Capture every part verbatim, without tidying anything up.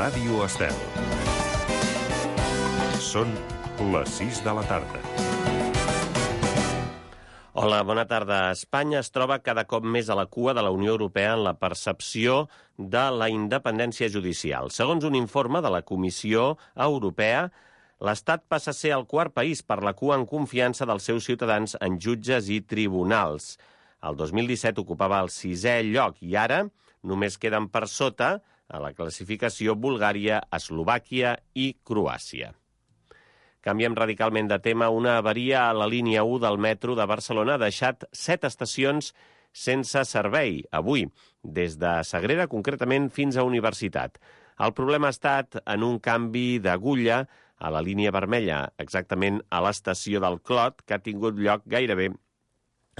Ràdio Estel. Són les sis de la tarda. Hola, bona tarda. Espanya es troba cada cop més a la cua de la Unió Europea en la percepció de la independència judicial. Segons un informe de la Comissió Europea, l'Estat passa a ser el quart país per la cua en confiança dels seus ciutadans en jutges i tribunals. El dos mil disset ocupava el sisè lloc i ara només queden per sota a la classificació Bulgària, Eslovàquia i Croàcia. Canviem radicalment de tema. Una avaria a la línia u del metro de Barcelona ha deixat set estacions sense servei avui, des de Sagrera, concretament, fins a Universitat. El problema ha estat en un canvi d'agulla a la línia vermella, exactament a l'estació del Clot, que ha tingut lloc gairebé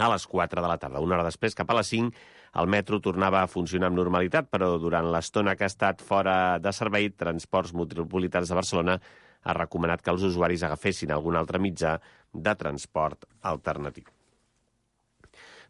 a les quatre de la tarda. Una hora després, cap a les cinc, el metro tornava a funcionar amb normalitat, però durant l'estona que ha estat fora de servei, Transports Metropolitans de Barcelona ha recomanat que els usuaris agafessin algun altre mitjà de transport alternatiu.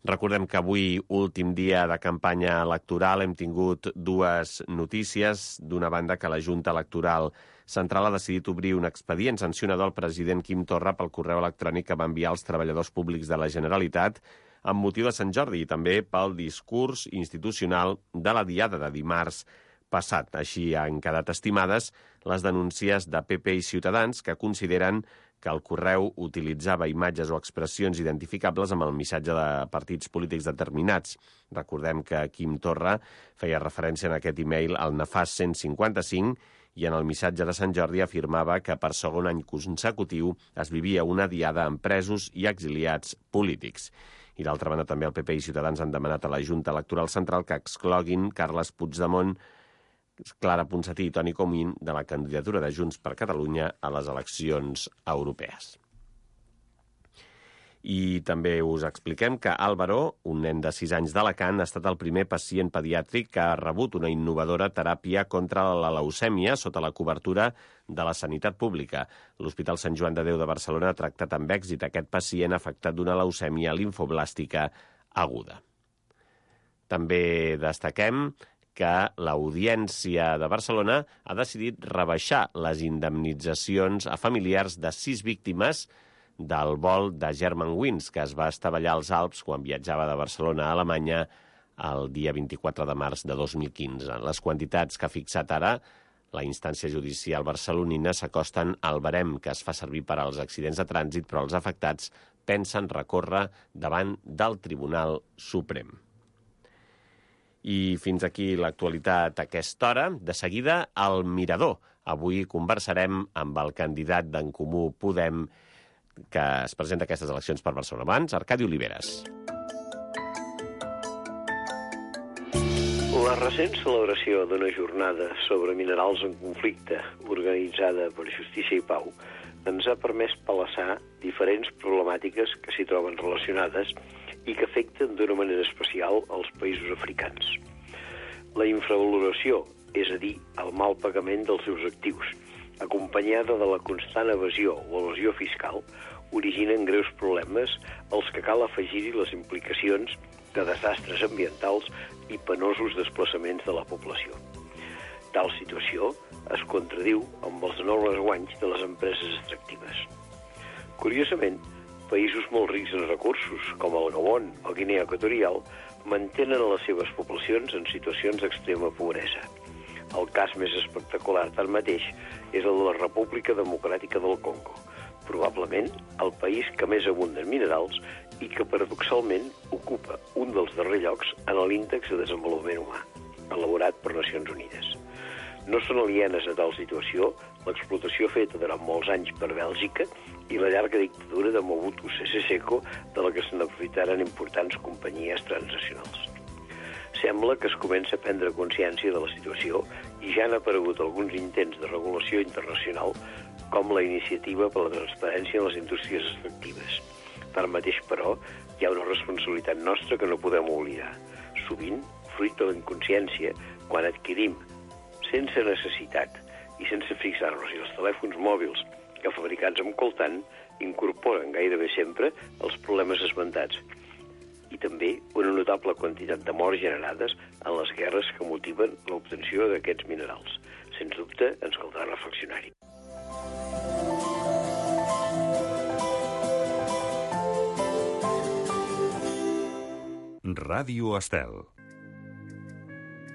Recordem que avui, últim dia de campanya electoral, hem tingut dues notícies. D'una banda, que la Junta Electoral Central ha decidit obrir un expedient sancionador al president Quim Torra pel correu electrònic que va enviar als treballadors públics de la Generalitat amb motiu de Sant Jordi i també pel discurs institucional de la diada de dimarts passat. Així han quedat estimades les denúncies de P P i Ciutadans, que consideren que el correu utilitzava imatges o expressions identificables amb el missatge de partits polítics determinats. Recordem que Quim Torra feia referència en aquest e-mail al nefast cent cinquanta-cinc i en el missatge de Sant Jordi afirmava que per segon any consecutiu es vivia una diada amb presos i exiliats polítics. I d'altra banda, també el P P i Ciutadans han demanat a la Junta Electoral Central que excloguin Carles Puigdemont, Clara Ponsatí i Toni Comín de la candidatura de Junts per Catalunya a les eleccions europees. I també us expliquem que Álvaro, un nen de sis anys d'Alacant, ha estat el primer pacient pediàtric que ha rebut una innovadora teràpia contra la leucèmia sota la cobertura de la sanitat pública. L'Hospital Sant Joan de Déu de Barcelona ha tractat amb èxit aquest pacient afectat d'una leucèmia limfoblàstica aguda. També destaquem que l'Audiència de Barcelona ha decidit rebaixar les indemnitzacions a familiars de sis víctimes del vol de Germanwings, que es va estavellar als Alps quan viatjava de Barcelona a Alemanya el dia vint-i-quatre de març de dos mil quinze. Les quantitats que ha fixat ara la instància judicial barcelonina s'acosten al barem que es fa servir per als accidents de trànsit, però els afectats pensen recórrer davant del Tribunal Suprem. I fins aquí l'actualitat a aquesta hora. De seguida, al Mirador. Avui conversarem amb el candidat d'En Comú Podem que es presenta a aquestes eleccions per Barcelona. Abans, Arcadi Oliveres. La recent celebració d'una jornada sobre minerals en conflicte organitzada per Justícia i Pau ens ha permès palassar diferents problemàtiques que s'hi troben relacionades i que afecten d'una manera especial els països africans. La infravaloració, és a dir, el mal pagament dels seus actius, acompanyada de la constant evasió o evasió fiscal, originen greus problemes als que cal afegir-hi les implicacions de desastres ambientals i penosos desplaçaments de la població. Tal situació es contradiu amb els enormes guanys de les empreses extractives. Curiosament, països molt rics en recursos, com el Gabon o Guinea Equatorial, mantenen les seves poblacions en situacions d'extrema pobresa. El cas més espectacular, tanmateix, és el de la República Democràtica del Congo, probablement el país que més abunda en minerals i que, paradoxalment, ocupa un dels darrers llocs en l'índex de desenvolupament humà, elaborat per Nacions Unides. No són alienes a tal situació l'explotació feta durant molts anys per Bèlgica i la llarga dictadura de Mobutu Sese Seko, de la que se n'aprofitaren importants companyies transnacionals. Sembla que es comença a prendre consciència de la situació i ja han aparegut alguns intents de regulació internacional, com la iniciativa per la transparència en les indústries extractives. Tanmateix, però, hi ha una responsabilitat nostra que no podem oblidar. Sovint, fruit de la inconsciència, quan adquirim sense necessitat i sense fixar-nos si els telèfons mòbils que fabricats amb coltan incorporen gairebé sempre els problemes esmentats i també una notable quantitat de morts generades en les guerres que motiven l'obtenció d'aquests minerals, sens dubte, ens caldrà reflexionar-hi. Ràdio Estel.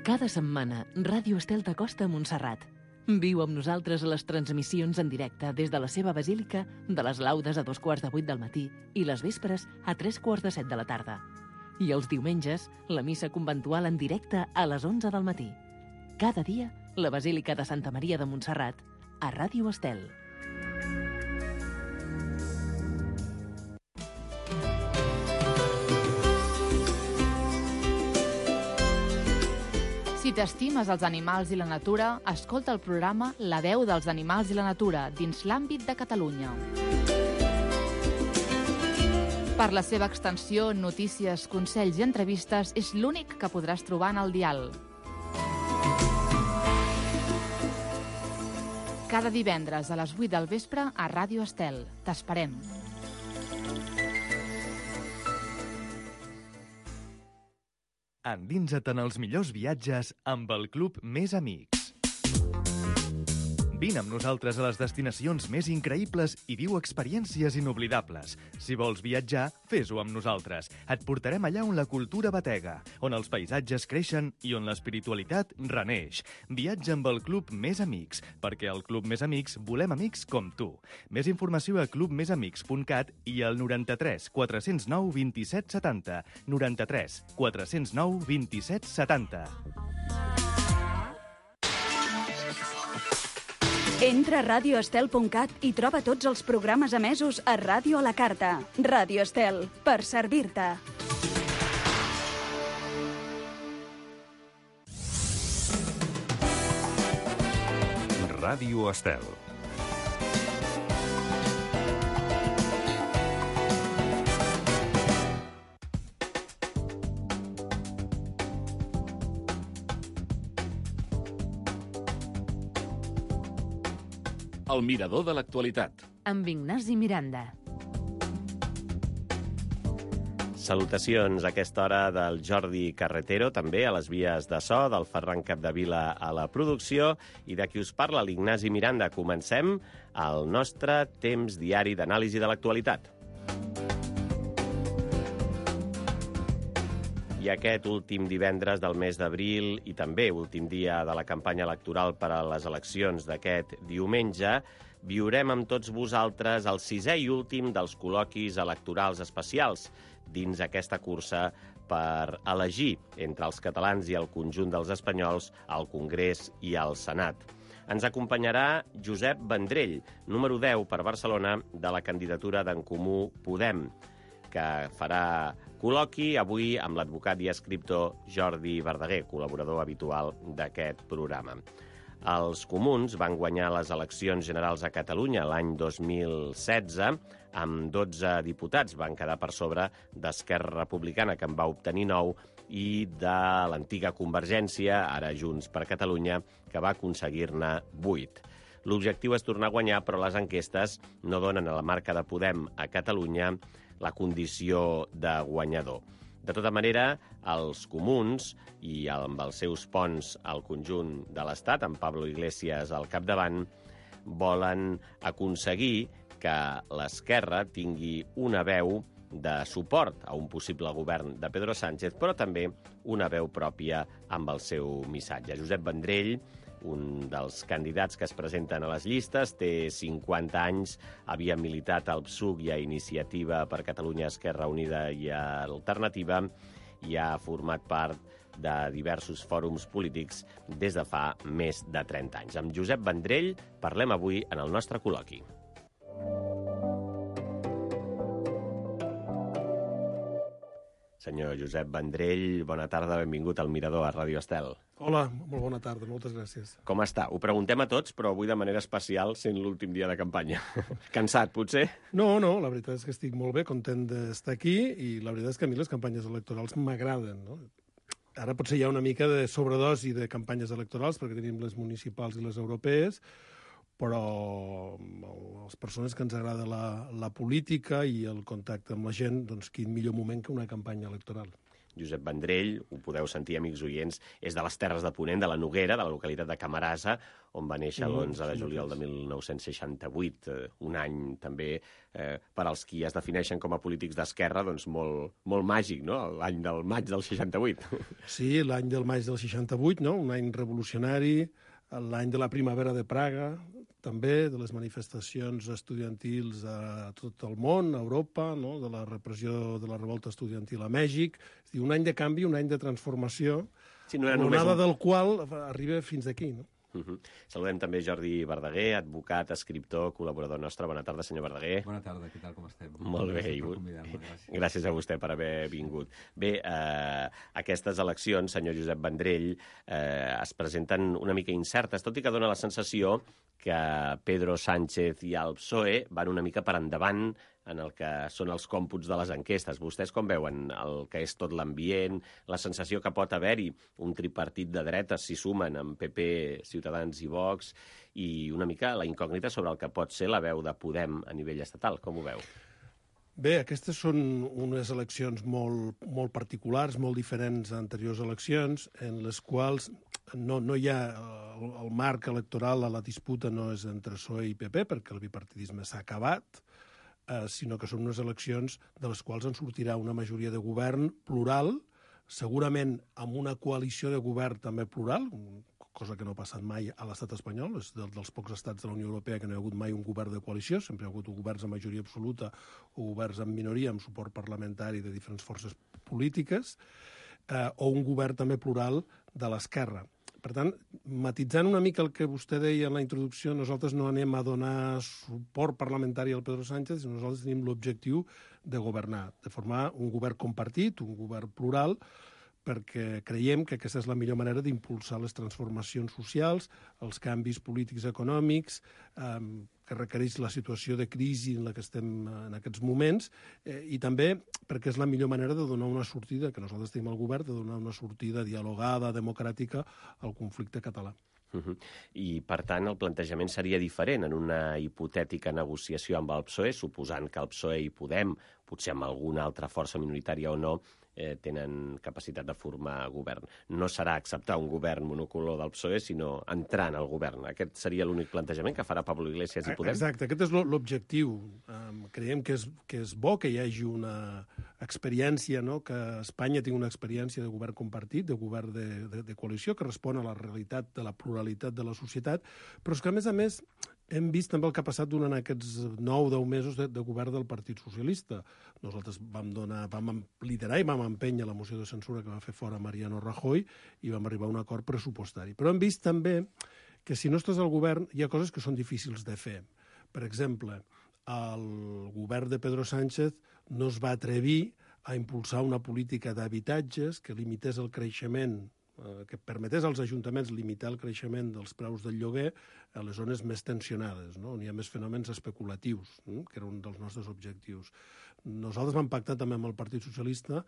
Cada setmana, Ràdio Estel t'acosta a Montserrat. Viu amb nosaltres a les transmissions en directe des de la seva basílica de les laudes a dos quarts de vuit del matí i les vespres a tres quarts de set de la tarda. I els diumenges, la missa conventual en directe a les onze del matí. Cada dia, la Basílica de Santa Maria de Montserrat, a Ràdio Estel. Si t'estimes els animals i la natura, escolta el programa La veu dels animals i la natura dins l'àmbit de Catalunya. Per la seva extensió, notícies, consells i entrevistes, és l'únic que podràs trobar en el dial. Cada divendres a les vuit del vespre a Ràdio Estel. T'esperem. Endinsa't en els millors viatges amb el Club Més Amics. Vine amb nosaltres a les destinacions més increïbles i viu experiències inoblidables. Si vols viatjar, fes-ho amb nosaltres. Et portarem allà on la cultura batega, on els paisatges creixen i on l'espiritualitat reneix. Viatja amb el Club Més Amics, perquè al Club Més Amics volem amics com tu. Més informació a club més amics punt cat i al noranta-tres quatre zero nou vint-i-set setanta. noranta-tres quatre zero nou vint-i-set setanta. Entra a ràdio estel punt cat i troba tots els programes emesos a Ràdio a la Carta. Ràdio Estel, per servir-te. Ràdio Estel. El mirador de l'actualitat. Amb Ignasi Miranda. Salutacions a aquesta hora del Jordi Carretero, també a les vies de so, del Ferran Capdevila a la producció, i de qui us parla, l'Ignasi Miranda. Comencem el nostre temps diari d'anàlisi de l'actualitat. I aquest últim divendres del mes d'abril i també últim dia de la campanya electoral per a les eleccions d'aquest diumenge, viurem amb tots vosaltres el sisè i últim dels col·loquis electorals especials dins aquesta cursa per elegir entre els catalans i el conjunt dels espanyols al Congrés i al Senat. Ens acompanyarà Josep Vendrell, número deu per Barcelona de la candidatura d'En Comú Podem, que farà col·loqui avui amb l'advocat i escriptor Jordi Verdaguer, col·laborador habitual d'aquest programa. Els comuns van guanyar les eleccions generals a Catalunya l'any dos mil setze amb dotze diputats. Van quedar per sobre d'Esquerra Republicana, que en va obtenir nou, i de l'antiga Convergència, ara Junts per Catalunya, que va aconseguir-ne vuit. L'objectiu és tornar a guanyar, però les enquestes no donen a la marca de Podem a Catalunya la condició de guanyador. De tota manera, els comuns, i amb els seus ponts al conjunt de l'Estat, amb Pablo Iglesias al capdavant, volen aconseguir que l'esquerra tingui una veu de suport a un possible govern de Pedro Sánchez, però també una veu pròpia amb el seu missatge. Josep Vendrell, un dels candidats que es presenten a les llistes, té cinquanta anys, havia militat al P S U C i a Iniciativa per Catalunya, Esquerra Unida i Alternativa, i ha format part de diversos fòrums polítics des de fa més de trenta anys. Amb Josep Vendrell parlem avui en el nostre col·loqui. Senyor Josep Vendrell, bona tarda, benvingut al Mirador a Ràdio Estel. Hola, molt bona tarda, moltes gràcies. Com està? Ho preguntem a tots, però avui de manera especial, sent l'últim dia de campanya. Cansat, potser? No, no, la veritat és que estic molt bé, content d'estar aquí, i la veritat és que a mi les campanyes electorals m'agraden, no? Ara potser hi ha una mica de sobredosi de campanyes electorals, perquè tenim les municipals i les europees, però a les persones que ens agrada la, la política i el contacte amb la gent, doncs quin millor moment que una campanya electoral. Josep Vendrell, ho podeu sentir, amics oients, és de les Terres de Ponent, de la Noguera, de la localitat de Camarasa, on va néixer l'onze de juliol de mil nou-cents seixanta-vuit, eh, un any també eh, per als qui es defineixen com a polítics d'esquerra, doncs molt, molt màgic, no?, l'any del maig del seixanta-vuit. Sí, l'any del maig del seixanta-vuit, no?, un any revolucionari, l'any de la primavera de Praga, també, de les manifestacions estudiantils a tot el món, a Europa, no?, de la repressió de la revolta estudiantil a Mèxic. És a dir, un any de canvi, un any de transformació, sí, no l'onada un... del qual arriba fins aquí, no? Uh -huh. Saludem també Jordi Verdaguer, advocat, escriptor, col·laborador nostre. Bona tarda, senyor Verdaguer. Bona tarda, què tal, com estem? Molt bé, i gràcies. gràcies a vostè per haver vingut. Bé, eh, aquestes eleccions, senyor Josep Vendrell, eh, es presenten una mica incertes, tot i que dona la sensació que Pedro Sánchez i el P S O E van una mica per endavant en el que són els còmputs de les enquestes. Vostès com veuen el que és tot l'ambient, la sensació que pot haver-hi un tripartit de dretes si sumen amb P P, Ciutadans i Vox, i una mica la incògnita sobre el que pot ser la veu de Podem a nivell estatal. Com ho veu? Bé, aquestes són unes eleccions molt, molt particulars, molt diferents a anteriors eleccions, en les quals no, no hi ha el, el marc electoral, a la disputa no és entre P S O E i P P, perquè el bipartidisme s'ha acabat, eh, sinó que són unes eleccions de les quals en sortirà una majoria de govern plural, segurament amb una coalició de govern també plural, cosa que no ha passat mai a l'estat espanyol, és del, dels pocs estats de la Unió Europea que no hi ha hagut mai un govern de coalició, sempre hi ha hagut governs amb majoria absoluta o governs amb minoria, amb suport parlamentari de diferents forces polítiques, eh, o un govern també plural de l'esquerra. Per tant, matitzant una mica el que vostè deia en la introducció, nosaltres no anem a donar suport parlamentari al Pedro Sánchez, sinó nosaltres tenim l'objectiu de governar, de formar un govern compartit, un govern plural, perquè creiem que aquesta és la millor manera d'impulsar les transformacions socials, els canvis polítics econòmics, eh, que requereix la situació de crisi en la que estem en aquests moments, eh, i també perquè és la millor manera de donar una sortida, que nosaltres tenim al govern, de donar una sortida dialogada, democràtica, al conflicte català. Uh -huh. I, per tant, el plantejament seria diferent en una hipotètica negociació amb el P S O E, suposant que el P S O E i Podem, potser amb alguna altra força minoritària o no, eh, tenen capacitat de formar govern. No serà acceptar un govern monocolor del P S O E, sinó entrar en el govern. Aquest seria l'únic plantejament que farà Pablo Iglesias i Podem? Exacte, aquest és l'objectiu. Um, creiem que és, que és bo que hi hagi una experiència, no?, que Espanya tingui una experiència de govern compartit, de govern de, de, de coalició, que respon a la realitat de la pluralitat de la societat, però és que, a més a més, hem vist també el que ha passat durant aquests nou o deu mesos de, de govern del Partit Socialista. Nosaltres vam, donar, vam liderar i vam empènyer la moció de censura que va fer fora Mariano Rajoy i vam arribar a un acord pressupostari. Però hem vist també que si no estàs al govern hi ha coses que són difícils de fer. Per exemple, el govern de Pedro Sánchez no es va atrevir a impulsar una política d'habitatges que limités el creixement, que permetés als ajuntaments limitar el creixement dels preus del lloguer a les zones més tensionades, no?, on hi ha més fenòmens especulatius, no?, que era un dels nostres objectius. Nosaltres vam pactar també amb el Partit Socialista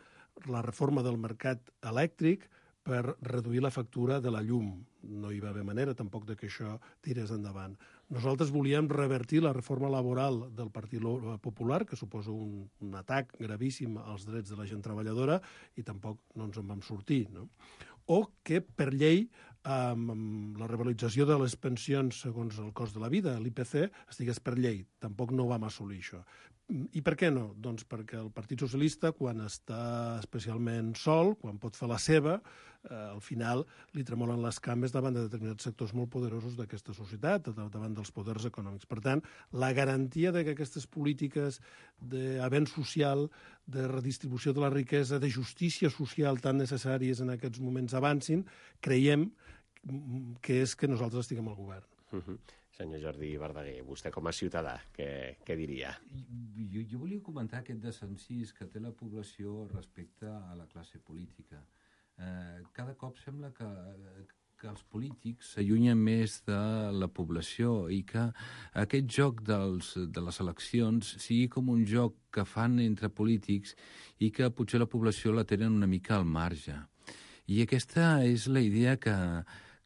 la reforma del mercat elèctric per reduir la factura de la llum. No hi va haver manera tampoc de que això tirés endavant. Nosaltres volíem revertir la reforma laboral del Partit Popular, que suposa un, un atac gravíssim als drets de la gent treballadora, i tampoc no ens en vam sortir, no? O que, per llei, amb la revalorització de les pensions segons el cost de la vida, l'I P C, estigués per llei. Tampoc no vam assolir això. I per què no? Doncs perquè el Partit Socialista, quan està especialment sol, quan pot fer la seva, eh, al final li tremolen les cames davant de determinats sectors molt poderosos d'aquesta societat, davant dels poders econòmics. Per tant, la garantia de que aquestes polítiques d'avenç social, de redistribució de la riquesa, de justícia social tan necessàries en aquests moments avancin, creiem que és que nosaltres estiguem al govern. Uh-huh. Senyor Jordi Verdaguer, vostè com a ciutadà, què, què diria? Jo, jo volia comentar aquest desencís que té la població respecte a la classe política. Eh, cada cop sembla que, que els polítics s'allunyen més de la població i que aquest joc dels, de les eleccions sigui com un joc que fan entre polítics i que potser la població la tenen una mica al marge. I aquesta és la idea que,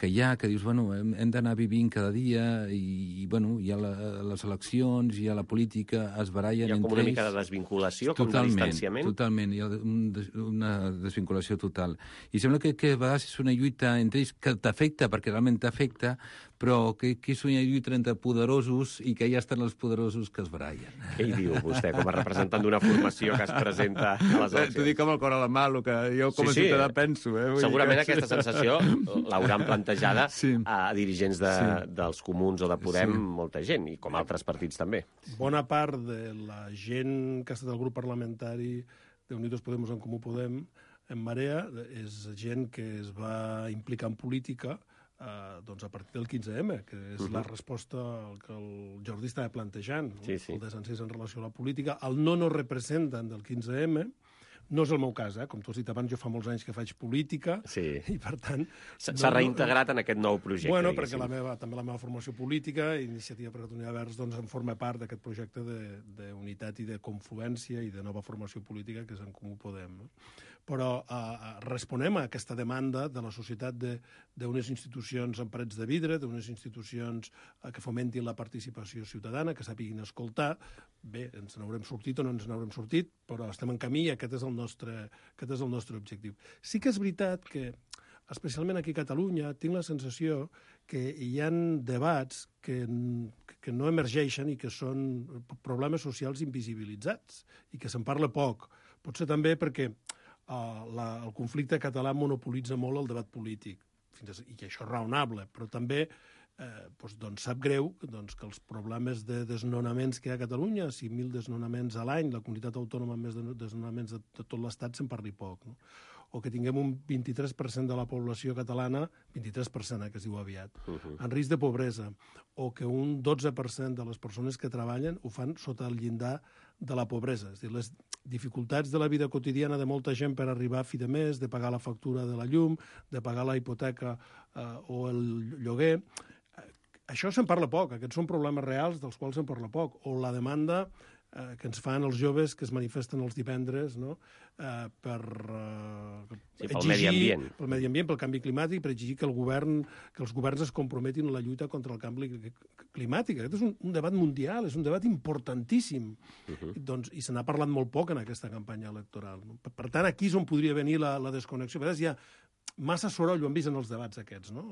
que hi ha, que dius, bueno, hem, hem d'anar vivint cada dia i, i bueno, hi ha la, les eleccions, hi ha la política, es barallen entre ells. Hi ha com una mica de desvinculació, com de distanciament? Totalment, hi ha un, una desvinculació total. I sembla que, que a vegades és una lluita entre ells que t'afecta, perquè realment t'afecta, però que, que és una lluita entre poderosos i que ja estan els poderosos que es barallen. Què hi diu vostè, com a representant d'una formació que es presenta a les eleccions? T'ho dic amb el cor a la mà, el que jo com a sí, sí. ciutadà penso. Eh? Segurament que... aquesta sensació l'hauran plantejada sí. a dirigents de, sí. dels Comuns o de Podem, sí. molta gent, i com altres partits també. Bona part de la gent que ha estat al grup parlamentari d'Unidos Podemos en Comú Podem, en Marea, és gent que es va implicar en política Uh, doncs a partir del quinze eme, que és uh -huh. la resposta al que el Jordi estava plantejant, sí, sí. el desencís en relació a la política. El no no representen del quinze eme, no és el meu cas, eh? Com tu has dit abans, jo fa molts anys que faig política, sí. i per tant... S'ha no, reintegrat no, en aquest nou projecte, Bueno, diguéssim. perquè la meva, també la meva formació política, Iniciativa per Catalunya Verds, doncs en forma part d'aquest projecte d'unitat i de confluència i de nova formació política que és en Comú Podem, no? Però eh, responem a aquesta demanda de la societat d'unes institucions amb parets de vidre, d'unes institucions eh, que fomentin la participació ciutadana, que sàpiguin escoltar. Bé, ens n'haurem sortit o no ens n'haurem sortit, però estem en camí i aquest és el nostre, aquest és el nostre objectiu. Sí que és veritat que, especialment aquí a Catalunya, tinc la sensació que hi ha debats que, que no emergeixen i que són problemes socials invisibilitzats i que se'n parla poc. Potser també perquè Uh, la, el conflicte català monopolitza molt el debat polític, fins a, i això és raonable, però també eh, doncs, doncs sap greu doncs, que els problemes de desnonaments que hi ha a Catalunya, cinc mil desnonaments a l'any, la comunitat autònoma amb més de desnonaments de, de tot l'Estat, se'n parli poc, no? O que tinguem un vint-i-tres per cent de la població catalana, vint-i-tres per cent, eh, que es diu aviat, uh-huh. en risc de pobresa, o que un dotze per cent de les persones que treballen ho fan sota el llindar de la pobresa. És a dir, les dificultats de la vida quotidiana de molta gent per arribar a fi de mes, de pagar la factura de la llum, de pagar la hipoteca eh, o el lloguer. Això se'n parla poc, aquests són problemes reals dels quals se'n parla poc. O la demanda eh, que ens fan els joves que es manifesten els divendres, no? eh, per eh, sí, pel exigir, medi ambient. Pel medi ambient, pel canvi climàtic, per exigir que el govern, que els governs es comprometin en la lluita contra el canvi climàtic. Aquest és un, un debat mundial, és un debat importantíssim. Uh-huh. doncs, I se n'ha parlat molt poc en aquesta campanya electoral. No? Per, per tant, aquí és on podria venir la, la desconnexió. A vegades hi ha massa soroll, ho hem vist en els debats aquests, no?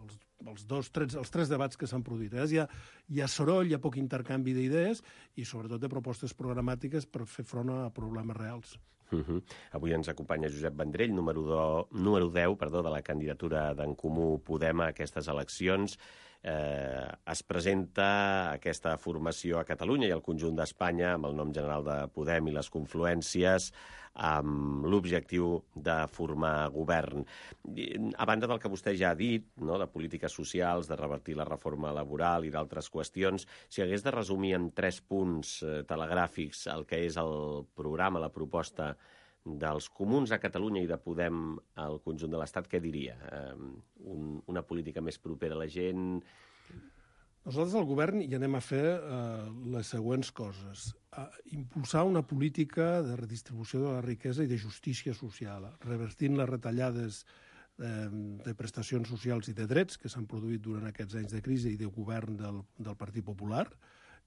Els, els, dos, tres, els tres debats que s'han produït. A vegades hi ha, hi ha soroll, hi ha poc intercanvi d'idees i sobretot de propostes programàtiques per fer front a problemes reals. Uh-huh. Avui ens acompanya Josep Vendrell, número, do, número deu perdó, de la candidatura d'en Comú Podem a aquestes eleccions. Eh, es presenta aquesta formació a Catalunya i al conjunt d'Espanya amb el nom general de Podem i les confluències amb l'objectiu de formar govern. A banda del que vostè ja ha dit, no, de polítiques socials, de revertir la reforma laboral i d'altres qüestions, si hagués de resumir en tres punts eh, telegràfics el que és el programa, la proposta dels comuns a Catalunya i de Podem al conjunt de l'Estat, què diria? Eh, un, una política més propera a la gent? Nosaltres al govern hi anem a fer eh, les següents coses. Eh, impulsar una política de redistribució de la riquesa i de justícia social, revertint les retallades eh, de prestacions socials i de drets que s'han produït durant aquests anys de crisi i de govern del, del Partit Popular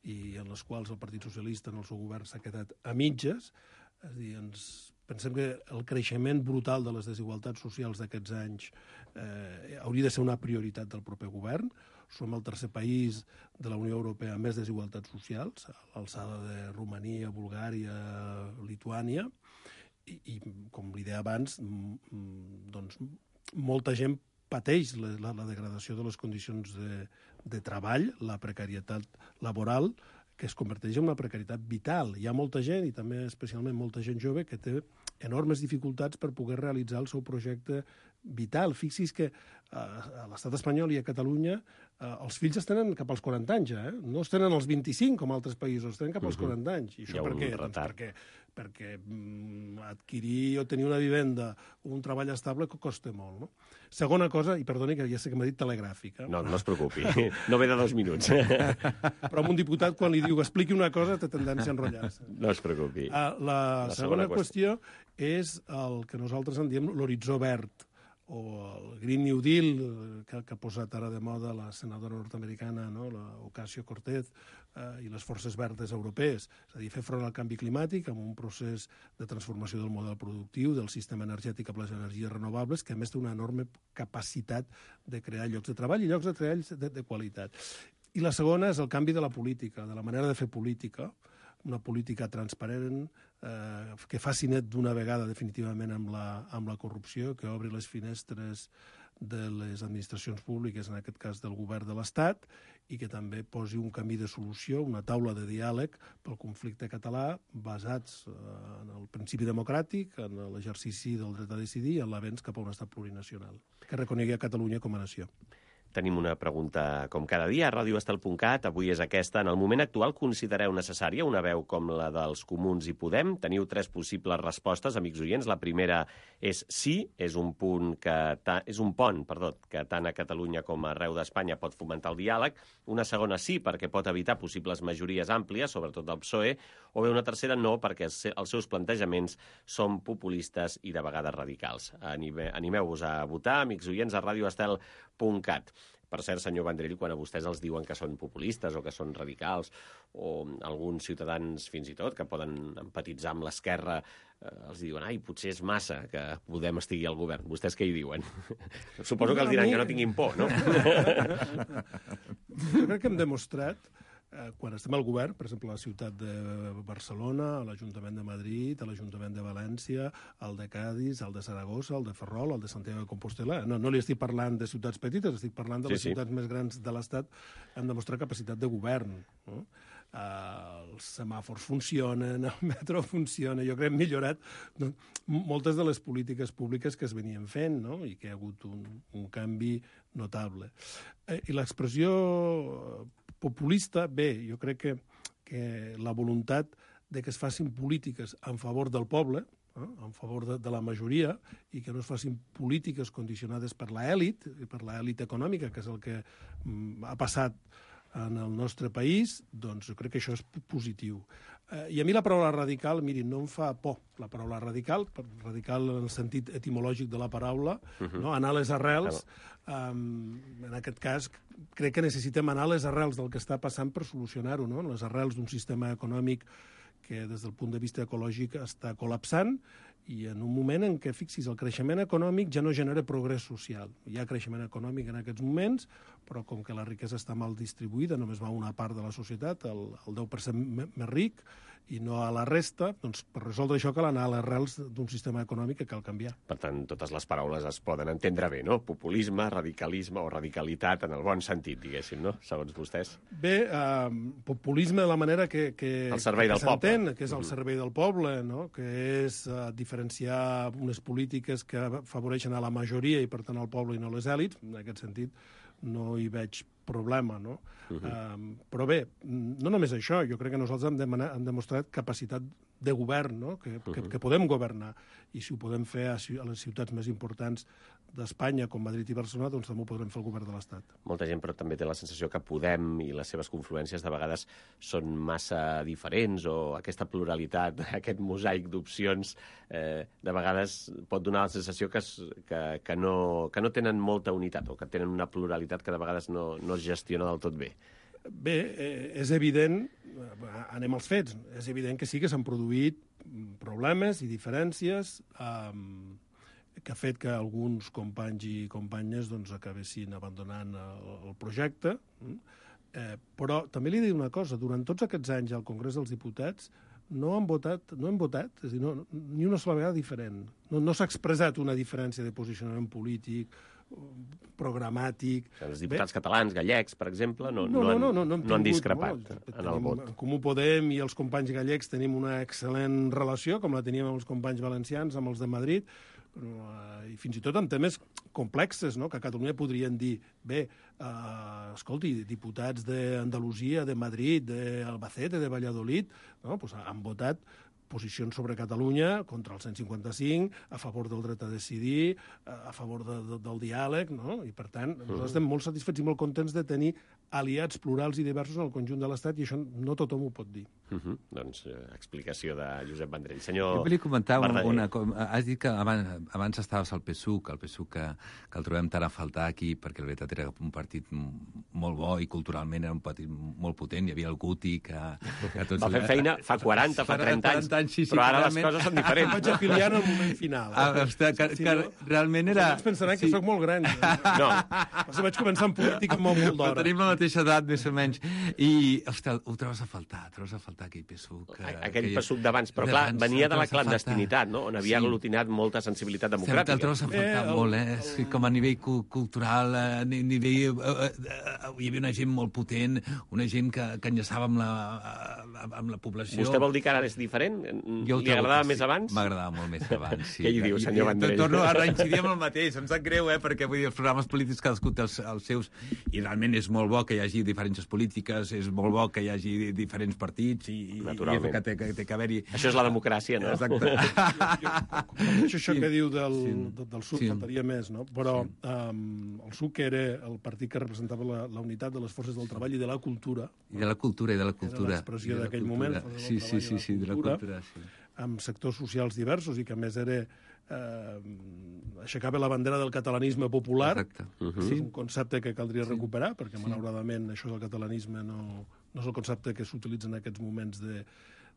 i en les quals el Partit Socialista en el seu govern s'ha quedat a mitges. És a dir, ens pensem que el creixement brutal de les desigualtats socials d'aquests anys eh, hauria de ser una prioritat del proper govern. Som el tercer país de la Unió Europea amb més desigualtats socials, a l'alçada de Romania, Bulgària, Lituània, i, i com li deia abans, doncs, molta gent pateix la, la, la degradació de les condicions de, de treball, la precarietat laboral, que es converteix en una precarietat vital. Hi ha molta gent, i també especialment molta gent jove, que té enormes dificultats per poder realitzar el seu projecte vital. Fixi's que eh, a l'estat espanyol i a Catalunya eh, els fills es tenen cap als quaranta anys, eh? No es tenen als vint-i-cinc com altres països, es tenen cap als uh-huh. quaranta anys. I això per què? Doncs perquè, perquè mm, adquirir o tenir una vivenda o un treball estable costa molt, no? Segona cosa, i perdoni que ja sé que m'ha dit telegràfica. No, no es preocupi, no ve de dos minuts. Però amb un diputat, quan li diu expliqui una cosa, té tendència a enrotllar-se. No es preocupi. Uh, la, la segona, segona qüestió és el que nosaltres en diem l'horitzó verd. o el Green New Deal, que, que ha posat ara de moda la senadora nord-americana, no? la Ocasio-Cortez, eh, i les forces verdes europees. És a dir, fer front al canvi climàtic amb un procés de transformació del model productiu, del sistema energètic cap a les energies renovables, que a més té una enorme capacitat de crear llocs de treball i llocs de treball de, de qualitat. I la segona és el canvi de la política, de la manera de fer política, una política transparent, eh, que faci net d'una vegada definitivament amb la, amb la corrupció, que obri les finestres de les administracions públiques, en aquest cas del govern de l'Estat, i que també posi un camí de solució, una taula de diàleg pel conflicte català basats en el principi democràtic, en l'exercici del dret a decidir i en l'avenç cap a un estat plurinacional, que reconegui a Catalunya com a nació. Tenim una pregunta, com cada dia, a radio estel punt cat. Avui és aquesta. En el moment actual, considereu necessària una veu com la dels Comuns i Podem? Teniu tres possibles respostes, amics oients. La primera és sí, és un punt que ta... és un pont, perdó, que tant a Catalunya com arreu d'Espanya pot fomentar el diàleg. Una segona sí, perquè pot evitar possibles majories àmplies, sobretot del P S O E. O bé una tercera no, perquè els seus plantejaments són populistes i de vegades radicals. Animeu-vos a votar, amics oients, a radio estel punt cat. Per cert, senyor Vendrell, quan a vostès els diuen que són populistes o que són radicals, o alguns ciutadans fins i tot que poden empatitzar amb l'esquerra, eh, els diuen, ai, potser és massa que Podem estigui al govern. Vostès què hi diuen? Suposo que els diran que no tinguin por, no? Jo crec que hem demostrat, eh, quan estem al govern, per exemple, a la ciutat de Barcelona, a l'Ajuntament de Madrid, a l'Ajuntament de València, al de Cádiz, al de Saragossa, al de Ferrol, al de Santiago de Compostela. No, no li estic parlant de ciutats petites, estic parlant de sí, les sí. ciutats més grans de l'Estat. Hem demostrat capacitat de govern. No? Uh, els semàfors funcionen, el metro funciona. Jo crec que hem millorat no, moltes de les polítiques públiques que es venien fent, no? I que hi ha hagut un, un canvi notable. Eh, I l'expressió populista, bé, jo crec que, que la voluntat de que es facin polítiques en favor del poble, eh, en favor de, de la majoria, i que no es facin polítiques condicionades per l'elit, per l'elit econòmica, que és el que mm, ha passat en el nostre país, doncs jo crec que això és positiu. Eh, I a mi la paraula radical, miri, no em fa por la paraula radical, radical en el sentit etimològic de la paraula, uh-huh. no? Anar a les arrels. Um, en aquest cas, crec que necessitem anar a les arrels del que està passant per solucionar-ho, no? Les arrels d'un sistema econòmic que des del punt de vista ecològic està col·lapsant, i en un moment en què, fixis, el creixement econòmic ja no genera progrés social. Hi ha creixement econòmic en aquests moments, però com que la riquesa està mal distribuïda, només va a una part de la societat, el, el deu per cent més ric, i no a la resta, doncs per resoldre això cal anar a les arrels d'un sistema econòmic que cal canviar. Per tant, totes les paraules es poden entendre bé, no? Populisme, radicalisme o radicalitat en el bon sentit, diguéssim, no? Segons vostès. Bé, eh, populisme de la manera que, que, el servei que del poble. Que és el servei del poble, no? Que és eh, diferenciar unes polítiques que afavoreixen a la majoria i, per tant, al poble i no a les èlits. En aquest sentit, no hi veig problema, no? Uh -huh. um, però bé, no només això, jo crec que nosaltres hem, demanar, hem demostrat capacitat de govern, no? Que, uh -huh. que, que podem governar, i si ho podem fer a, a les ciutats més importants d'Espanya, com Madrid i Barcelona, doncs també ho podrem fer al govern de l'Estat. Molta gent, però també té la sensació que Podem i les seves confluències de vegades són massa diferents, o aquesta pluralitat, aquest mosaic d'opcions, eh, de vegades pot donar la sensació que, es, que, que, no, que no tenen molta unitat, o que tenen una pluralitat que de vegades no, no es gestiona del tot bé. Bé, eh, és evident, anem als fets, és evident que sí que s'han produït problemes i diferències eh, que ha fet que alguns companys i companyes doncs, acabessin abandonant el, el projecte. Eh, però també li dic una cosa, durant tots aquests anys al Congrés dels Diputats no han votat, no hem votat, és a dir, no, ni una sola vegada diferent. No, no s'ha expressat una diferència de posicionament polític, programàtic. Els diputats Bé, catalans, gallecs, per exemple, no, no, no, han, no, no, no, no han discrepat no, en el vot. En Comú Podem i els companys gallecs tenim una excel·lent relació, com la teníem amb els companys valencians, amb els de Madrid, i fins i tot en temes complexes, no? Que a Catalunya podrien dir, bé, eh, escolti, diputats d'Andalusia, de Madrid, d'Albacete, de Valladolid, no? Pues han votat posicions sobre Catalunya, contra el cent cinquanta-cinc, a favor del dret a decidir, a favor de, de, del diàleg, no? I, per tant, nosaltres estem molt satisfets i molt contents de tenir aliats plurals i diversos en el conjunt de l'Estat, i això no tothom ho pot dir. Uh -huh. Doncs eh, explicació de Josep Vendrell. Senyor Jo volia comentar una, Verdaguer. una cosa. Has dit que abans, abans estaves al P S U C, el P S U C que, que el trobem tant a faltar aquí, perquè la veritat era un partit molt bo i culturalment era un partit molt potent. Hi havia el Guti, que... que tots... Va fer feina fa quaranta, fa trenta anys, anys sí, sí, però ara les coses són diferents. Vaig afiliar en el moment final. Ah, ostres, que, que, que realment era... Els pensaran que sí. Soc molt gran. No. Però vaig començar en política molt, molt d'hora. Tenim la mateixa edat, més o menys. I, ostres, ho trobes a faltar, trobes a faltar aquell P S U C. Que, aquell que P S U C d'abans, però clar, venia de la clandestinitat, no? On havia sí. aglutinat molta sensibilitat democràtica. El trobes a faltar eh, molt, eh? El... Com a nivell cultural, a nivell... Hi havia una gent molt potent, una gent que, que enllaçava amb la, amb la població. Vostè vol dir que ara és diferent? Jo Li agradava més sí. abans? M'agradava molt més abans, sí. Què hi diu, senyor Vendrell? Torno a reincidir amb el mateix, em sap greu, eh? Perquè vull dir, els programes polítics cadascú té els, els seus, i realment és molt bo que hi hagi diferències polítiques, és molt bo que hi hagi diferents partits, i, naturalment. I que té, que té que haver-hi... Això és la democràcia, no? Exacte. Això, això sí. que diu del, sí. del S U C sí. faltaria més, no? Però sí. um, el S U C era el partit que representava la, la unitat de les forces del treball i de la cultura. I de la cultura, i de la cultura. Era l'expressió d'aquell moment. Sí, sí, sí, sí, de la cultura, sí. Amb sectors socials diversos i que, a més, era... Eh, aixecava la bandera del catalanisme popular. Exacte. Uh -huh. És un concepte que caldria sí. recuperar, perquè, sí. malauradament, això del catalanisme no, no és el concepte que s'utilitza en aquests moments de,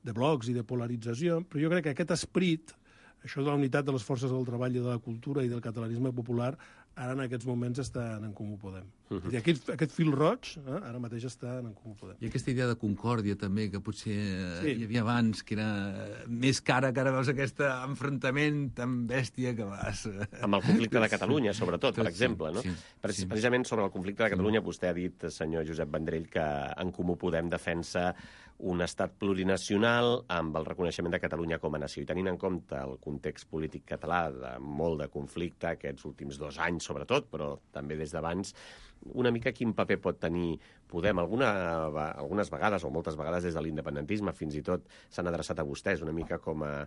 de blocs i de polarització, però jo crec que aquest esperit, això de la unitat de les forces del treball i de la cultura i del catalanisme popular, ara en aquests moments estan en Comú Podem. Uh -huh. I aquest, aquest fil roig, eh, ara mateix està en Comú Podem. I aquesta idea de concòrdia, també, que potser sí. hi havia abans, que era més cara, que ara veus aquest enfrontament tan bèstia que vas... Amb el conflicte de Catalunya, sobretot, per sí, exemple, no? Sí, sí. Precisament sobre el conflicte de Catalunya, vostè ha dit, senyor Josep Vendrell, que en Comú Podem defensa un estat plurinacional amb el reconeixement de Catalunya com a nació. I tenint en compte el context polític català de molt de conflicte aquests últims dos anys, sobretot, però també des d'abans, una mica quin paper pot tenir Podem? Alguna, algunes vegades, o moltes vegades des de l'independentisme, fins i tot s'han adreçat a vostès una mica com a,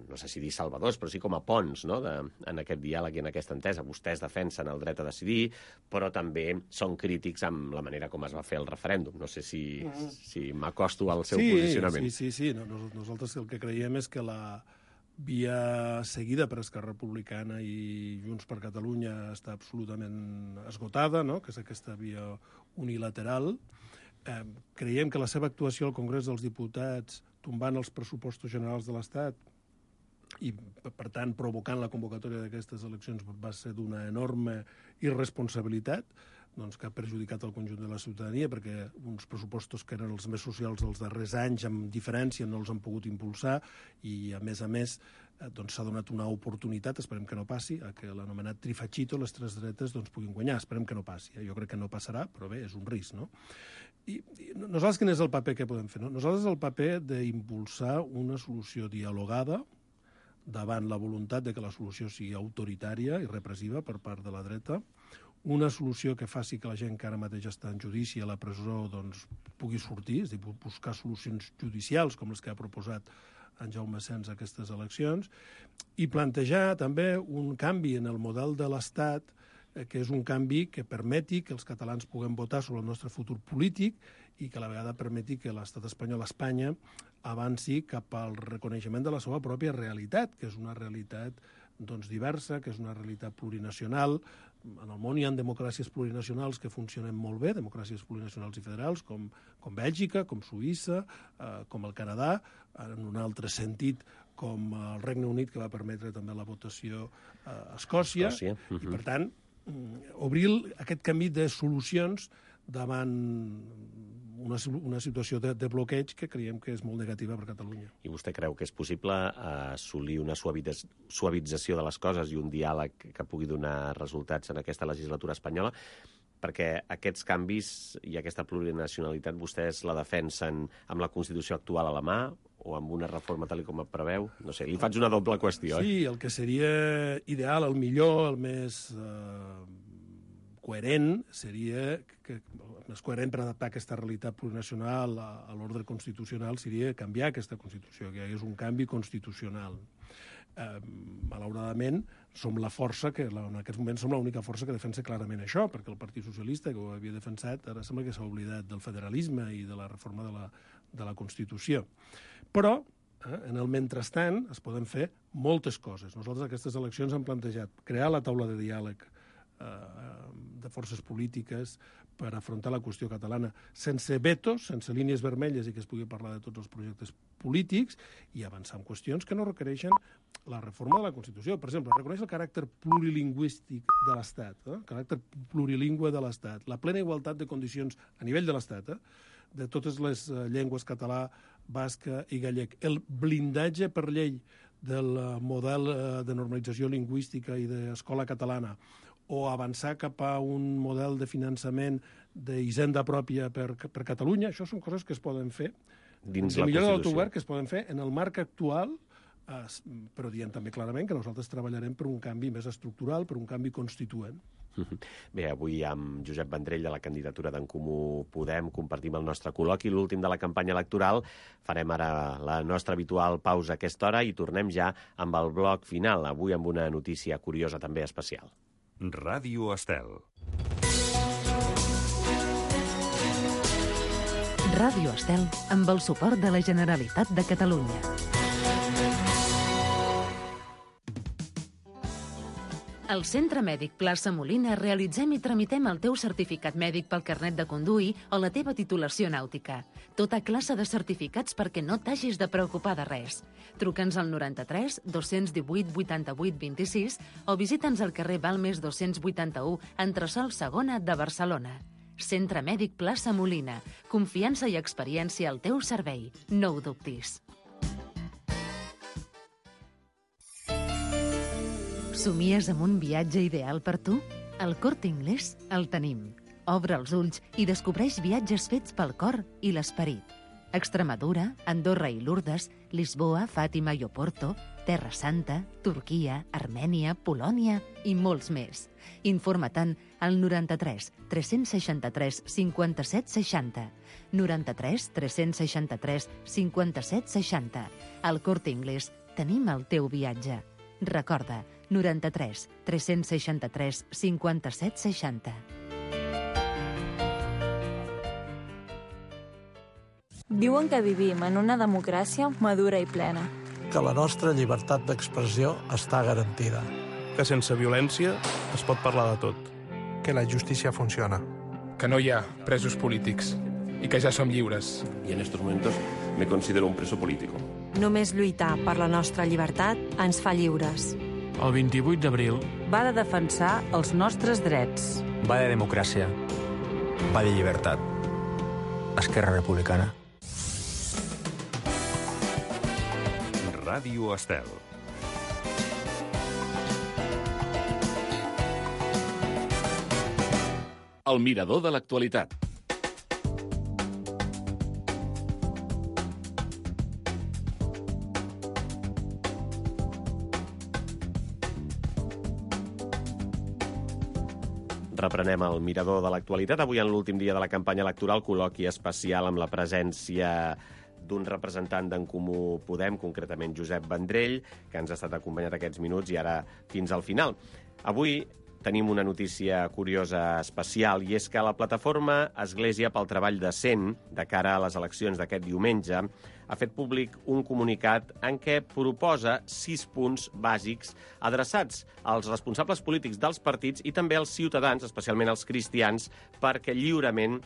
no sé si dir salvadors, però sí com a ponts, no?, de, en aquest diàleg i en aquesta entesa. Vostès defensen el dret a decidir, però també són crítics amb la manera com es va fer el referèndum. No sé si, mm. si m'acosto al seu sí, posicionament. Sí, sí, sí. No, nosaltres el que creiem és que la via seguida per Esquerra Republicana i Junts per Catalunya està absolutament esgotada, no?, que és aquesta via unilateral. Eh, creiem que la seva actuació al Congrés dels Diputats, tombant els pressupostos generals de l'Estat i, per tant, provocant la convocatòria d'aquestes eleccions, va ser d'una enorme irresponsabilitat, doncs, que ha perjudicat el conjunt de la ciutadania, perquè uns pressupostos que eren els més socials dels darrers anys, amb diferència, no els han pogut impulsar, i, a més a més, doncs, s'ha donat una oportunitat, esperem que no passi, a que l'anomenat trifachito, les tres dretes, doncs, puguin guanyar. Esperem que no passi. Jo crec que no passarà, però bé, és un risc, no? I, i nosaltres quin és el paper que podem fer? No? Nosaltres el paper d'impulsar una solució dialogada davant la voluntat de que la solució sigui autoritària i repressiva per part de la dreta, una solució que faci que la gent que ara mateix està en judici a la presó doncs, pugui sortir, és a dir, buscar solucions judicials com les que ha proposat en Jaume Sens a aquestes eleccions, i plantejar també un canvi en el model de l'Estat, eh, que és un canvi que permeti que els catalans puguem votar sobre el nostre futur polític i que a la vegada permeti que l'estat espanyol, Espanya, avanci cap al reconeixement de la seva pròpia realitat, que és una realitat doncs, diversa, que és una realitat plurinacional. En el món hi ha democràcies plurinacionals que funcionen molt bé, democràcies plurinacionals i federals, com, com Bèlgica, com Suïssa, eh, com el Canadà, en un altre sentit, com el Regne Unit, que va permetre també la votació a Escòcia. Escòcia. Uh-huh. I, per tant, obrir aquest camí de solucions davant una, una situació de, de bloqueig que creiem que és molt negativa per Catalunya. I vostè creu que és possible assolir una suavització de les coses i un diàleg que pugui donar resultats en aquesta legislatura espanyola? Perquè aquests canvis i aquesta plurinacionalitat vostès la defensen amb la Constitució actual a la mà o amb una reforma tal com et preveu? No sé, li faig una doble qüestió. Sí, el que seria ideal, el millor, el més eh, coherent seria, que, més coherent per adaptar aquesta realitat plurinacional a, a l'ordre constitucional seria canviar aquesta Constitució, que hi hagués un canvi constitucional. Eh, malauradament, som la força que, en aquests moments, som l'única força que defensa clarament això, perquè el Partit Socialista, que ho havia defensat, ara sembla que s'ha oblidat del federalisme i de la reforma de la, de la Constitució. Però, eh, en el mentrestant, es poden fer moltes coses. Nosaltres aquestes eleccions hem plantejat crear la taula de diàleg de forces polítiques per afrontar la qüestió catalana sense vetos, sense línies vermelles i que es pugui parlar de tots els projectes polítics i avançar en qüestions que no requereixen la reforma de la Constitució. Per exemple, reconèixer el caràcter plurilingüístic de l'Estat, eh? el caràcter plurilingüe de l'Estat, la plena igualtat de condicions a nivell de l'Estat, eh? de totes les uh, llengües català, basca i gallec, el blindatge per llei del uh, model uh, de normalització lingüística i d'escola catalana, o avançar cap a un model de finançament d'hisenda pròpia per, per Catalunya, això són coses que es poden fer dins la Constitució. Millora de l'autogovern que es poden fer en el marc actual, eh, però diem també clarament que nosaltres treballarem per un canvi més estructural, per un canvi constituent. Bé, avui amb Josep Vendrell de la candidatura d'en Comú Podem compartim el nostre col·loqui, l'últim de la campanya electoral. Farem ara la nostra habitual pausa a aquesta hora i tornem ja amb el bloc final, avui amb una notícia curiosa també especial. Ràdio Estel. Ràdio Estel amb el suport de la Generalitat de Catalunya. Al Centre Mèdic Plaça Molina realitzem i tramitem el teu certificat mèdic pel carnet de conduir o la teva titulació nàutica. Tota classe de certificats perquè no t'hagis de preocupar de res. Truca'ns al noranta-tres dos cents divuit vuitanta-vuit vint-i-sis o visita'ns al carrer Balmes dos-cents vuitanta-u, entresòl segona de Barcelona. Centre Mèdic Plaça Molina. Confiança i experiència al teu servei. No ho dubtis. Somies amb un viatge ideal per tu? Al Corte Inglés el tenim. Obre els ulls i descobreix viatges fets pel cor i l'esperit. Extremadura, Andorra i Lourdes, Lisboa, Fàtima i Oporto, Terra Santa, Turquia, Armènia, Polònia i molts més. Informa-te'n al noranta-tres tres seixanta-tres cinquanta-set seixanta. noranta-tres tres seixanta-tres cinquanta-set seixanta. Al Corte Inglés tenim el teu viatge. Recorda, noranta-tres tres seixanta-tres cinquanta-set seixanta. Diuen que vivim en una democràcia madura i plena. Que la nostra llibertat d'expressió està garantida. Que sense violència es pot parlar de tot. Que la justícia funciona. Que no hi ha presos polítics i que ja som lliures. I en estos momentos me considero un preso político. Només lluitar per la nostra llibertat ens fa lliures. El vint-i-vuit d'abril va de defensar els nostres drets. Va de democràcia. Va de llibertat. Esquerra Republicana. Ràdio Estel. El mirador de l'actualitat. Reprenem el mirador de l'actualitat. Avui, en l'últim dia de la campanya electoral, col·loqui especial amb la presència d'un representant d'en Comú Podem, concretament Josep Vendrell, que ens ha estat acompanyat aquests minuts i ara fins al final. Avui tenim una notícia curiosa especial, i és que la plataforma Església pel Treball Decent, de cara a les eleccions d'aquest diumenge, ha fet públic un comunicat en què proposa sis punts bàsics adreçats als responsables polítics dels partits i també als ciutadans, especialment als cristians, perquè lliurement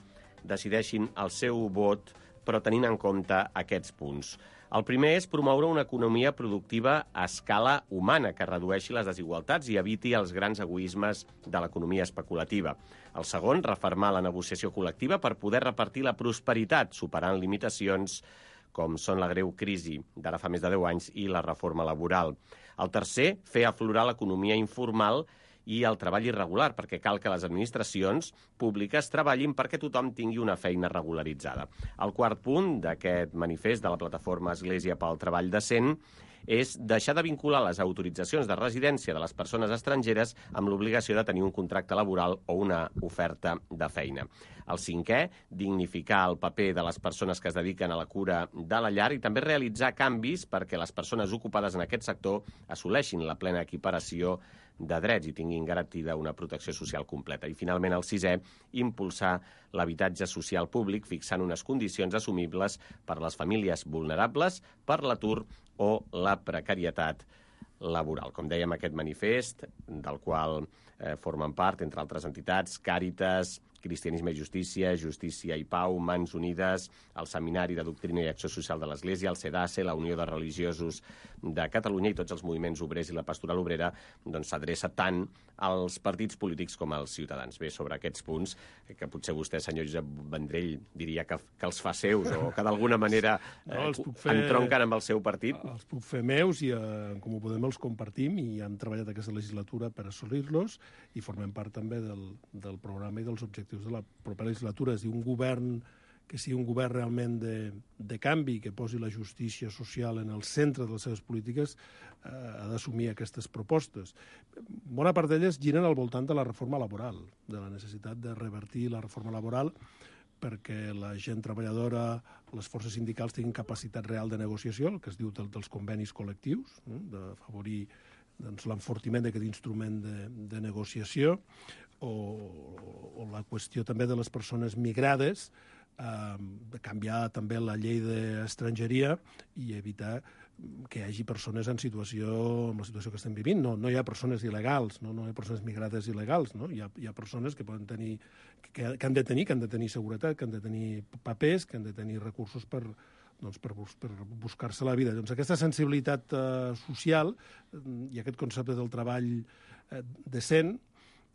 decideixin el seu vot, però tenint en compte aquests punts. El primer és promoure una economia productiva a escala humana que redueixi les desigualtats i eviti els grans egoismes de l'economia especulativa. El segon, refermar la negociació col·lectiva per poder repartir la prosperitat, superant limitacions com són la greu crisi d'ara fa més de deu anys i la reforma laboral. El tercer, fer aflorar l'economia informal i el treball irregular, perquè cal que les administracions públiques treballin perquè tothom tingui una feina regularitzada. El quart punt d'aquest manifest de la plataforma Església pel Treball Decent és deixar de vincular les autoritzacions de residència de les persones estrangeres amb l'obligació de tenir un contracte laboral o una oferta de feina. El cinquè, dignificar el paper de les persones que es dediquen a la cura de la llar i també realitzar canvis perquè les persones ocupades en aquest sector assoleixin la plena equiparació de drets i tinguin garantida una protecció social completa. I, finalment, el sisè, impulsar l'habitatge social públic fixant unes condicions assumibles per a les famílies vulnerables, per l'atur o la precarietat laboral. Com dèiem, aquest manifest, del qual eh, formen part, entre altres entitats, Càritas, Cristianisme i Justícia, Justícia i Pau, Mans Unides, el Seminari de Doctrina i Acció Social de l'Església, el CEDACE, la Unió de Religiosos de Catalunya i tots els moviments obrers i la pastoral obrera doncs, s'adreça tant als partits polítics com als ciutadans. Bé, sobre aquests punts, que potser vostè, senyor Josep Vendrell, diria que, que els fa seus o que d'alguna manera eh, no, fer, entronquen amb el seu partit. Els puc fer meus i eh, com ho podem els compartim i hem treballat aquesta legislatura per assolir-los i formem part també del, del programa i dels objectius de la propera legislatura. És dir, un govern que sigui un govern realment de, de canvi, que posi la justícia social en el centre de les seves polítiques, eh, ha d'assumir aquestes propostes. Bona part d'elles giren al voltant de la reforma laboral, de la necessitat de revertir la reforma laboral perquè la gent treballadora, les forces sindicals tinguin capacitat real de negociació, el que es diu del, dels convenis col·lectius, no? D'afavorir doncs, l'enfortiment d'aquest instrument de, de negociació, o, o la qüestió també de les persones migrades, eh, de canviar també la llei d'estrangeria i evitar que hi hagi persones en situació, en la situació que estem vivint. No, no hi ha persones il·legals, no, no hi ha persones migrades il·legals, no? Hi ha, hi ha persones que poden tenir, que, que han de tenir, que han de tenir seguretat, que han de tenir papers, que han de tenir recursos per, doncs, per, per buscar-se la vida. Doncs aquesta sensibilitat eh, social i aquest concepte del treball eh, decent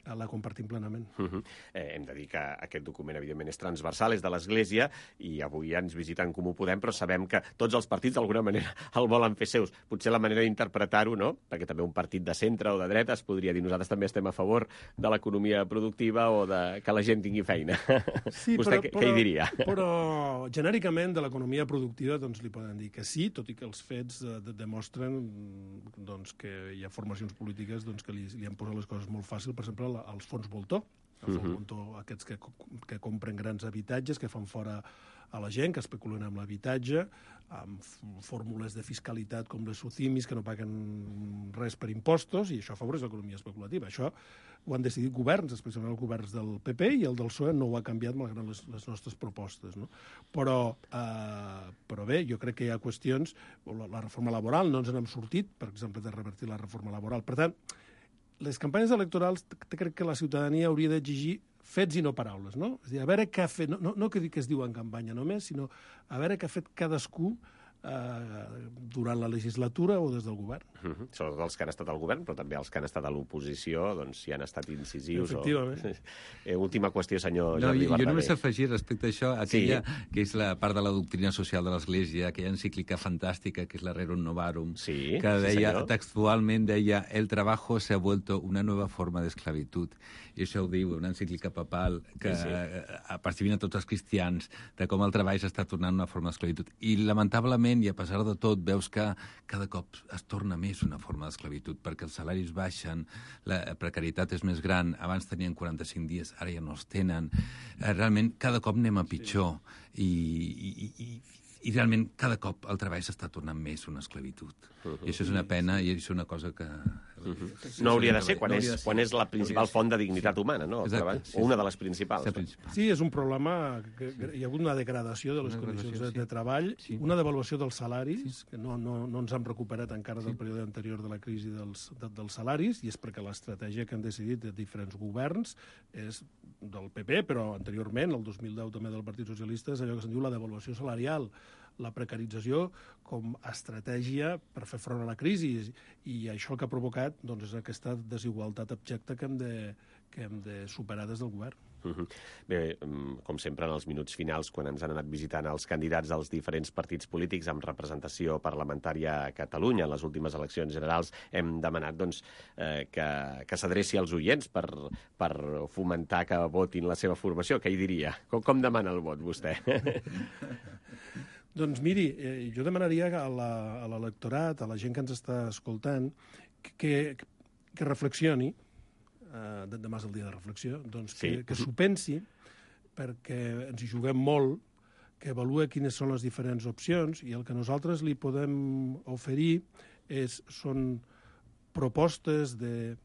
la compartim plenament. Uh-huh. eh, hem de dir que aquest document, evidentment, és transversal, és de l'Església, i avui ja ens visiten Com Ho Podem, però sabem que tots els partits, d'alguna manera, el volen fer seus. Potser la manera d'interpretar-ho, no?, perquè també un partit de centre o de dreta es podria dir nosaltres també estem a favor de l'economia productiva o de que la gent tingui feina. Sí, Vostè però, què, però, què hi diria? Però, genèricament, de l'economia productiva doncs, li poden dir que sí, tot i que els fets eh, demostren doncs, que hi ha formacions polítiques doncs, que li, li han posat les coses molt fàcil. Per exemple, els fons voltor, els fons voltor, aquests que, que compren grans habitatges, que fan fora a la gent, que especulen amb l'habitatge, amb fórmules de fiscalitat com les SUCIMIS, que no paguen res per impostos, i això afavoreix l'economia especulativa. Això ho han decidit governs, especialment els governs del P P, i el del P S O E no ho ha canviat malgrat les, les nostres propostes. No? Però, eh, però bé, jo crec que hi ha qüestions, la, la reforma laboral, no ens n'hem sortit, per exemple, de revertir la reforma laboral. Per tant, les campanyes electorals crec que la ciutadania hauria d'exigir fets i no paraules, no? És a dir, a veure què ha fet, no, no, no que, que es diu en campanya només, sinó a veure què ha fet cadascú eh, durant la legislatura o des del govern. Uh-huh. Sobretot els que han estat al govern, però també els que han estat a l'oposició, doncs si han estat incisius. Efectivament. O... Eh, última qüestió, senyor no, Jordi jo, Verdaguer. jo només afegir respecte a això, aquella sí. que és la part de la doctrina social de l'Església, aquella encíclica fantàstica que és la Rerum Novarum, sí, que deia, sí, textualment deia, el trabajo se ha vuelto una nueva forma de esclavitud. I això ho diu una encíclica papal que sí, sí. apercibint a tots els cristians de com el treball s'està tornant una forma d'esclavitud. I lamentablement, i a pesar de tot, veus que cada cop es torna més una forma d'esclavitud, perquè els salaris baixen, la precarietat és més gran, abans tenien quaranta-cinc dies, ara ja no els tenen. Realment, cada cop anem a pitjor. I, i, i, i realment, cada cop el treball s'està tornant més una esclavitud. Uh-huh. I això és una pena i és una cosa que... Uh-huh. No hauria de ser, quan, no és, de ser. quan és la principal font de dignitat humana, no? El treball, sí, o una de les principals. principal. Sí, és un problema que, que hi ha hagut una degradació de les una condicions de, sí. de treball, sí. una devaluació dels salaris, sí. que no, no, no ens han recuperat encara del sí. període anterior de la crisi dels, de, dels salaris, i és perquè l'estratègia que han decidit de diferents governs és del P P, però anteriorment, el dos mil deu també del Partit Socialista, és allò que se'n diu la devaluació salarial, la precarització com a estratègia per fer front a la crisi, i això el que ha provocat doncs, és aquesta desigualtat abjecta que hem de, que hem de superar des del govern. Uh-huh. Bé, com sempre, en els minuts finals, quan ens han anat visitant els candidats dels diferents partits polítics amb representació parlamentària a Catalunya en les últimes eleccions generals, hem demanat doncs, eh, que, que s'adreci als oients per, per fomentar que votin la seva formació. Què hi diria? Com, com demana el vot, vostè? Doncs miri, eh, jo demanaria a la- a l'electorat, a la gent que ens està escoltant, que, que reflexioni, eh, demà és el dia de reflexió, doncs que, Sí. que s'ho pensi, perquè ens hi juguem molt, que avalua quines són les diferents opcions, i el que nosaltres li podem oferir és, són propostes de,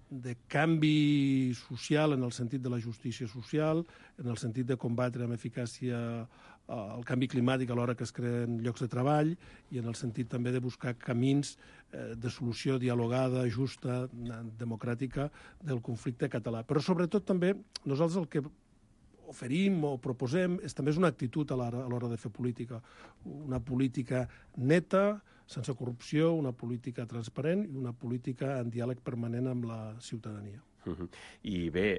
de canvi social en el sentit de la justícia social, en el sentit de combatre amb eficàcia eh, el canvi climàtic a l'hora que es creen llocs de treball, i en el sentit també de buscar camins eh, de solució dialogada, justa, democràtica del conflicte català. Però sobretot també nosaltres el que oferim o proposem és també és una actitud a l'hora a l'hora de fer política. Una política neta, sense corrupció, una política transparent i una política en diàleg permanent amb la ciutadania. Uh-huh. I bé,